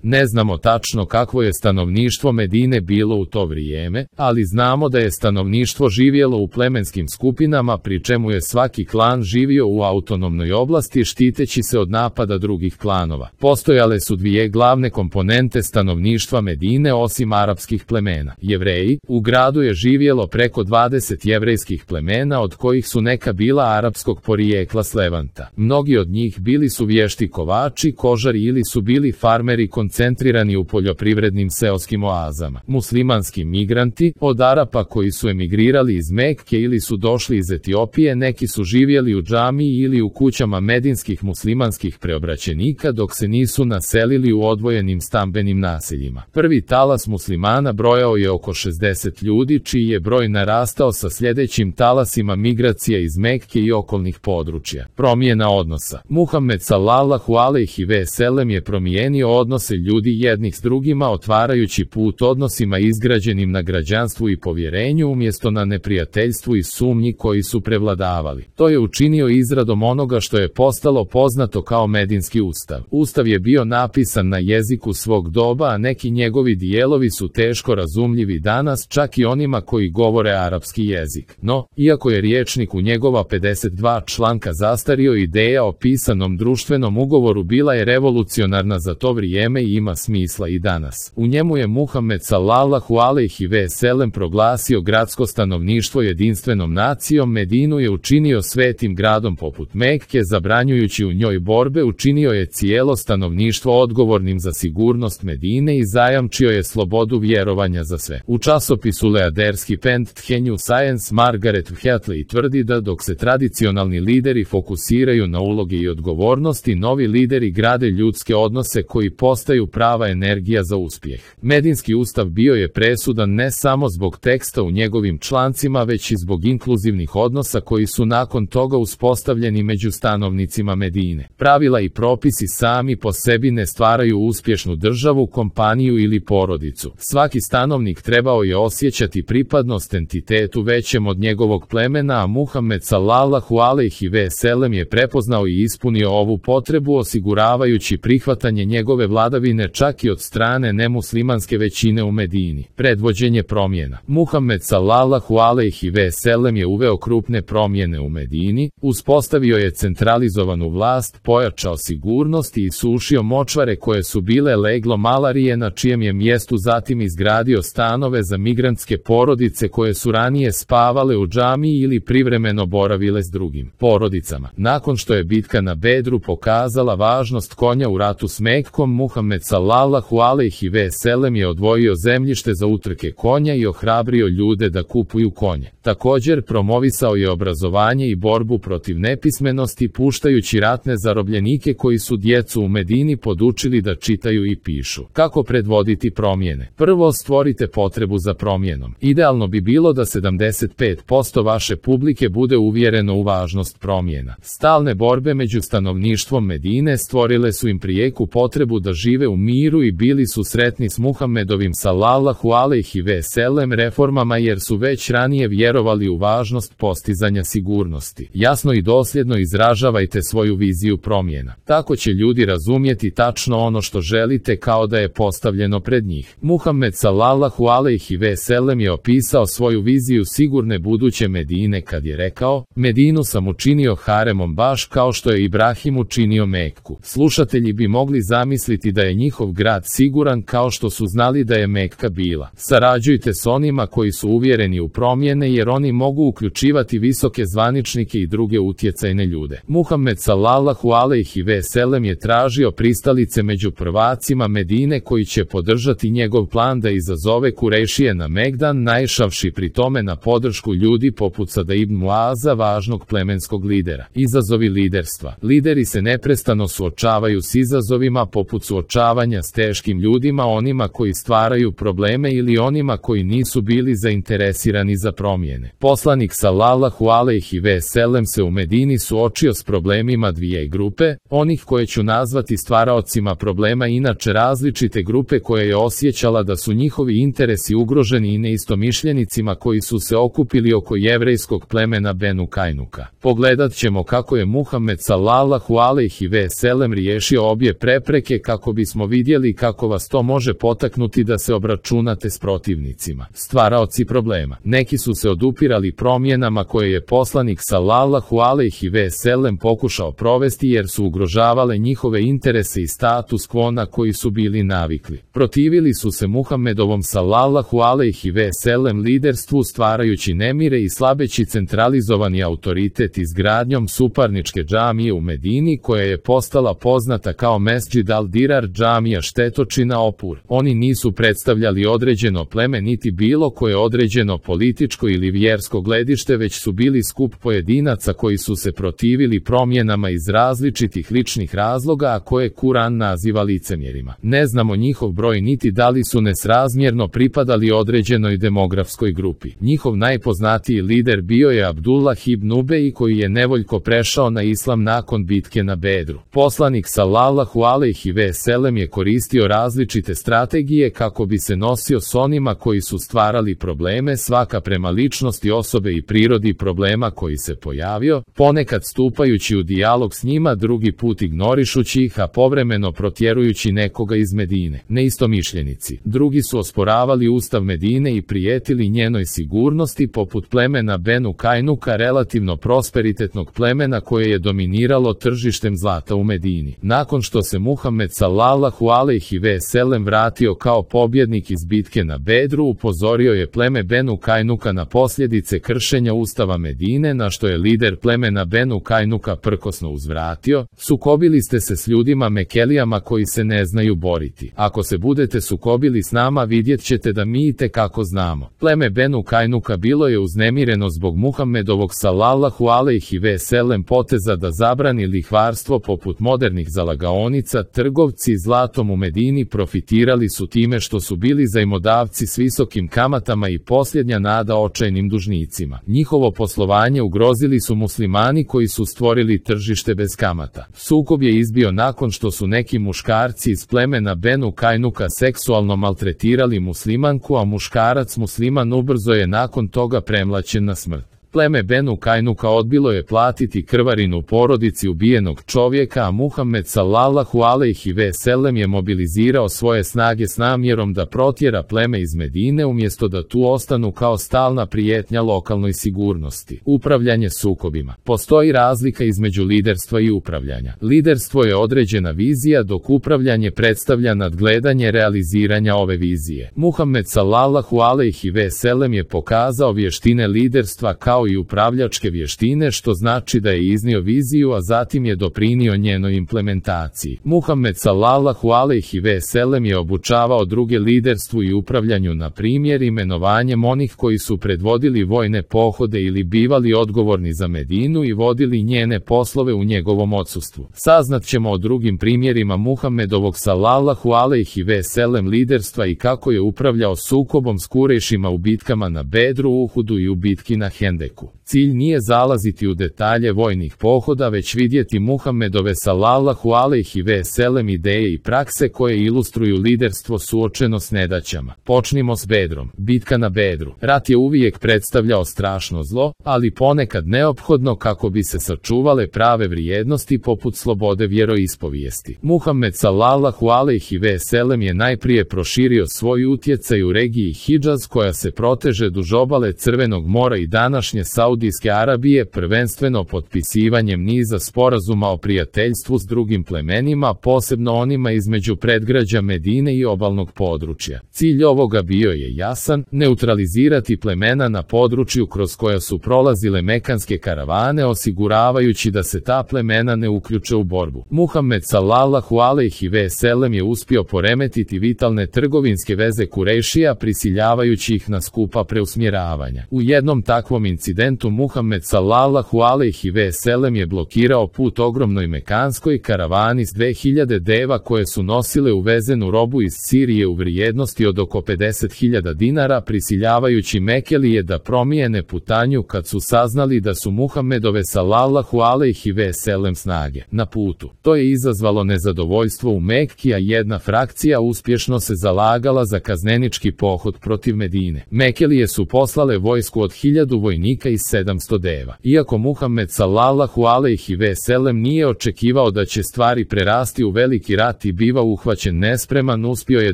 Ne znamo tačno kakvo je stanovništvo Medine bilo u to vrijeme, ali znamo da je stanovništvo živjelo u plemenskim skupinama, pri čemu je svaki klan živio u autonomnoj oblasti štiteći se od napada drugih klanova. Postojale su dvije glavne komponente stanovništva Medine osim arapskih plemena. Jevreji. U gradu je živjelo preko 20 jevrejskih plemena, od kojih su neka bila arapskog porijekla s Levanta. Mnogi od njih bili su vješti kovači, kožari ili su bili farmeri koncentrirani u poljoprivrednim seoskim oazama. Muslimanski migranti. Od Arapa koji su emigrirali iz Mekke ili su došli iz Etiopije, neki su živjeli u džamiji ili u kućama medinskih muslimanskih preobraćenika dok se nisu naselili u odvojenim stambenim naseljima. Prvi talas muslimana brojao je oko 60 ljudi, čiji je broj narastao sa sljedećim talasima migracija iz Mekke i okolnih područja. Promjena odnosa. Muhammed sallallahu alejhi ve sellem je promijenio odnose ljudi jednih s drugima, otvarajući put odnosima izgrađenim na građanstvu i povjerenju umjesto na neprijateljstvu i sumnji koji su prevladavali. To je učinio izradom onoga što je postalo poznato kao Medinski ustav. Ustav je bio napisan na jeziku svog doba, a neki njegovi dijelovi su teško razumljivi danas čak i onima koji govore arapski jezik. No, iako je rječnik u njegova 52 članka zastario, ideja o pisanom društvenom ugovoru bila je revolucionarna za to vrijeme i ima smisla i danas. U njemu je Muhammed sallallahu alejhi ve sellem proglasio gradsko stanovništvo jedinstvenom nacijom. Medinu je učinio svetim gradom poput Mekke, zabranjujući u njoj borbe, učinio je cijelo stanovništvo odgovornim za sigurnost Medine i zajamčio je slobodu vjerovanja za sve. U časopisu Leaderski Pent New Science Margaret Wheatley tvrdi da dok se tradicionalni lideri fokusiraju na uloge i odgovornosti, novi lideri grade ljudske odnose koji postaju prava energija za uspjeh. Medinski ustav bio je presudan ne samo zbog teksta u njegovim člancima, već i zbog inkluzivnih odnosa koji su nakon toga uspostavljeni među stanovnicima Medine. Pravila i propisi sami po sebi ne stvaraju uspješnu državu, kompaniju ili porodicu. Svaki stanovnik trebao je osjećati pripadnost entitetu većem od njegovog plemena, a Muhammed sallallahu alejhi ve sellem je prepoznao i ispunio ovu potrebu, osiguravajući prihvatanje njegove vladavine čak i od strane nemuslimanske većine u Medini. Predvođenje promjena. Muhammed sallallahu alejhi ve sellem je uveo krupne promjene u Medini, uspostavio je centralizovanu vlast, pojačao sigurnost i isušio močvare koje su bile leglo malarije, na čijem je mjestu zatim izgradio stanove za migrantske porodice koje su ranije spavale u džamiji ili privremeno boravile s drugim porodicama. Nakon što je bitka na Bedru pokazala važnost konja u ratu s Mekkom, Muhammed sallallahu alejhi ve sellem je odvojio zemljište za utrke konja i ohrabrio ljude da kupuju konje. Također promovisao je obrazovanje i borbu protiv nepismenosti, puštajući ratne zarobljenike koji su djecu u Medini podučili da čitaju i pišu. Kako predvoditi promjene? Prvo, stvorite potrebu za promjenom. Idealno bi bilo da 75% vaše publike bude uvjereno u važnost promjena. Stalne borbe među stanovništvom Medine stvorile su im prijeku potrebu da žive u miru i bili su sretni s Muhammedovim sallallahu alejhi ve sellem reformama, jer su već ranije vjerovali u važnost postizanja sigurnosti. Jasno i dosljedno izražavajte svoju viziju promjena. Tako će ljudi razumjeti tačno ono što želite, kao da je postavljeno pred njih. Muhammed sallallahu alejhi ve sellem je opisao svoju viziju sigurne buduće Medine kad je rekao: Medinu sam učinio haremom baš kao što je Ibrahim učinio Mekku. Slušatelji bi mogli zamisliti da je njihov grad siguran kao što su znali da je Mekka bila. Sarađujte s onima koji su uvjereni u promjene, jer oni mogu uključivati visoke zvaničnike i druge utjecajne ljude. Muhammed sallallahu alejhi ve sellem je tražio pristalice među prvacima Medine koji će podržati njegov plan da izazove Kurejšije na Megdan, naišavši pri tome na podršku ljudi poput Sada ibn Muaza, važnog plemenskog lidera. Izazovi liderstva. Lideri se neprestano suočavaju s izazovima poput suočavanja s teškim ljudima, onima koji stvaraju probleme ili onima koji nisu bili zainteresirani za promjene. Poslanik sallallahu alejhi ve sellem se u Medini suočio s problemima dvije grupe, onih koje ću nazvati stvaraocima problema, inače različite grupe koje je osjećala da su njihovi interesi ugroženi, i neistomišljenicima koji su se okupili oko jevrejskog plemena Benu Kajnuka. Pogledat ćemo kako je Muhammed sallallahu alejhi ve sellem riješio obje prepreke kako bi bismo vidjeli kako vas to može potaknuti da se obračunate s protivnicima, stvaraoci problema. Neki su se odupirali promjenama koje je poslanik sallallahu alejhi ve sellem pokušao provesti jer su ugrožavale njihove interese i status quo na koji su bili navikli. Protivili su se Muhammedovom sallallahu alejhi ve sellem liderstvu stvarajući nemire i slabeći centralizovani autoritet izgradnjom suparničke džamije u Medini koja je postala poznata kao Mesdžid al-Dirar, džamija štetočina opur. Oni nisu predstavljali određeno pleme niti bilo koje određeno političko ili vjersko gledište, već su bili skup pojedinaca koji su se protivili promjenama iz različitih ličnih razloga, a koje Kur'an naziva licemjerima. Ne znamo njihov broj niti da li su nesrazmjerno pripadali određenoj demografskoj grupi. Njihov najpoznatiji lider bio je Abdullah ibn Ubej koji je nevoljko prešao na islam nakon bitke na Bedru. Poslanik sallallahu alejhi ve sellem je koristio različite strategije kako bi se nosio s onima koji su stvarali probleme, svaka prema ličnosti osobe i prirodi problema koji se pojavio, ponekad stupajući u dijalog s njima, drugi put ignorišući ih, a povremeno protjerujući nekoga iz Medine. Neistomišljenici. Drugi su osporavali ustav Medine i prijetili njenoj sigurnosti, poput plemena Benu Kajnuka, relativno prosperitetnog plemena koje je dominiralo tržištem zlata u Medini. Nakon što se Muhammed sallallahu alejhi ve sellem vratio kao pobjednik iz bitke na Bedru, upozorio je pleme Benu Kajnuka na posljedice kršenja ustava Medine, na što je lider plemena Benu Kajnuka prkosno uzvratio: sukobili ste se s ljudima Mekelijama koji se ne znaju boriti. Ako se budete sukobili s nama, vidjet ćete da mi itekako znamo. Pleme Benu Kajnuka bilo je uznemireno zbog Muhammedovog sallallahu alejhi ve sellem poteza da zabrani lihvarstvo poput modernih zalagaonica. Trgovci zlatom u Medini profitirali su time što su bili zajmodavci s visokim kamatama i posljednja nada očajnim dužnicima. Njihovo poslovanje ugrozili su muslimani koji su stvorili tržište bez kamata. Sukob je izbio nakon što su neki muškarci iz plemena Benu Kajnuka seksualno maltretirali muslimanku, a muškarac musliman ubrzo je nakon toga premlaćen na smrt. Pleme Benu Kajnuka odbilo je platiti krvarinu porodici ubijenog čovjeka, a Muhammed sallallahu alejhi ve sellem je mobilizirao svoje snage s namjerom da protjera pleme iz Medine umjesto da tu ostanu kao stalna prijetnja lokalnoj sigurnosti. Upravljanje sukobima. Postoji razlika između liderstva i upravljanja. Liderstvo je određena vizija, dok upravljanje predstavlja nadgledanje realiziranja ove vizije. Muhammed sallallahu alejhi ve sellem je pokazao vještine liderstva kao i upravljačke vještine, što znači da je iznio viziju, a zatim je doprinio njenoj implementaciji. Muhammed sallallahu alejhi ve sellem je obučavao druge liderstvu i upravljanju, na primjer imenovanjem onih koji su predvodili vojne pohode ili bivali odgovorni za Medinu i vodili njene poslove u njegovom odsustvu. Saznat ćemo o drugim primjerima Muhammedovog sallallahu alejhi ve sellem liderstva i kako je upravljao sukobom s Kurejšima u bitkama na Bedru, Uhudu i u bitki na Hendeku. Cilj nije zalaziti u detalje vojnih pohoda, već vidjeti Muhammedove sallallahu alejhi ve sellem ideje i prakse koje ilustruju liderstvo suočeno s nedaćama. Počnimo s Bedrom. Bitka na Bedru. Rat je uvijek predstavljao strašno zlo, ali ponekad neophodno kako bi se sačuvale prave vrijednosti poput slobode vjeroispovijesti. Muhammed sallallahu alejhi ve sellem je najprije proširio svoj utjecaj u regiji Hidžaz koja se proteže duž obale Crvenog mora i današnje Saudijske Arabije, prvenstveno potpisivanjem niza sporazuma o prijateljstvu s drugim plemenima, posebno onima između predgrađa Medine i obalnog područja. Cilj ovoga bio je jasan: neutralizirati plemena na području kroz koja su prolazile mekanske karavane, osiguravajući da se ta plemena ne uključe u borbu. Muhammed sallallahu alejhi ve sellem je uspio poremetiti vitalne trgovinske veze Kurejšija, prisiljavajući ih na skupa preusmjeravanja. U jednom takvom incidentu Muhammed sallallahu alejhi ve sellem je blokirao put ogromnoj mekanskoj karavani s 2000 deva koje su nosile uvezenu robu iz Sirije u vrijednosti od oko 50.000 dinara, prisiljavajući Mekelije da promijene putanju kad su saznali da su Muhammedove sallallahu alejhi ve sellem snage na putu. To je izazvalo nezadovoljstvo u Mekki, a jedna frakcija uspješno se zalagala za kaznenički pohod protiv Medine. Mekelije su poslale vojsku od 1000 vojnika vojnika i 700 deva. Iako Muhammed sallallahu alejhi ve sellem nije očekivao da će stvari prerasti u veliki rat i biva uhvaćen nespreman, uspio je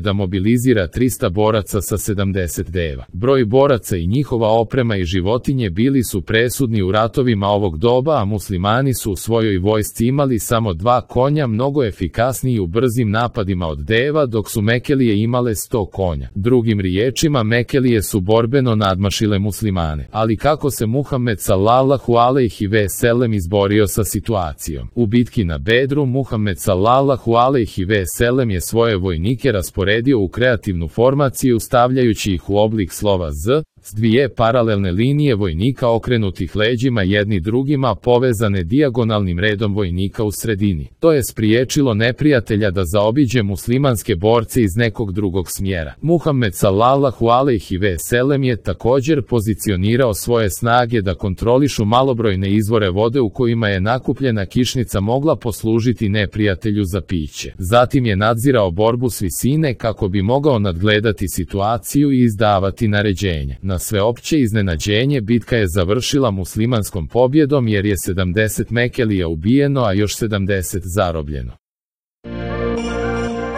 da mobilizira 300 boraca sa 70 deva. Broj boraca i njihova oprema i životinje bili su presudni u ratovima ovog doba, a muslimani su u svojoj vojsci imali samo 2 konja, mnogo efikasniji u brzim napadima od deva, dok su Mekelije imale 100 konja. Drugim riječima, Mekelije su borbeno nadmašile muslimane. Ali kako se Muhammed sallallahu alejhi ve sellem izborio sa situacijom? U bitki na Bedru, Muhammed sallallahu alejhi ve sellem je svoje vojnike rasporedio u kreativnu formaciju, stavljajući ih u oblik slova Z, s 2 paralelne linije vojnika okrenutih leđima jedni drugima, povezane dijagonalnim redom vojnika u sredini. To je spriječilo neprijatelja da zaobiđe muslimanske borce iz nekog drugog smjera. Muhammed sallallahu alejhi ve sellem je također pozicionirao svoje snage da kontrolišu malobrojne izvore vode u kojima je nakupljena kišnica mogla poslužiti neprijatelju za piće. Zatim je nadzirao borbu s visine kako bi mogao nadgledati situaciju i izdavati naređenja. Na sveopće iznenađenje, bitka je završila muslimanskom pobjedom jer je 70 Mekelija ubijeno, a još 70 zarobljeno.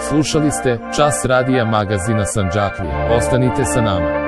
Slušali ste Čas radija magazina Sandžaklija. Ostanite sa nama.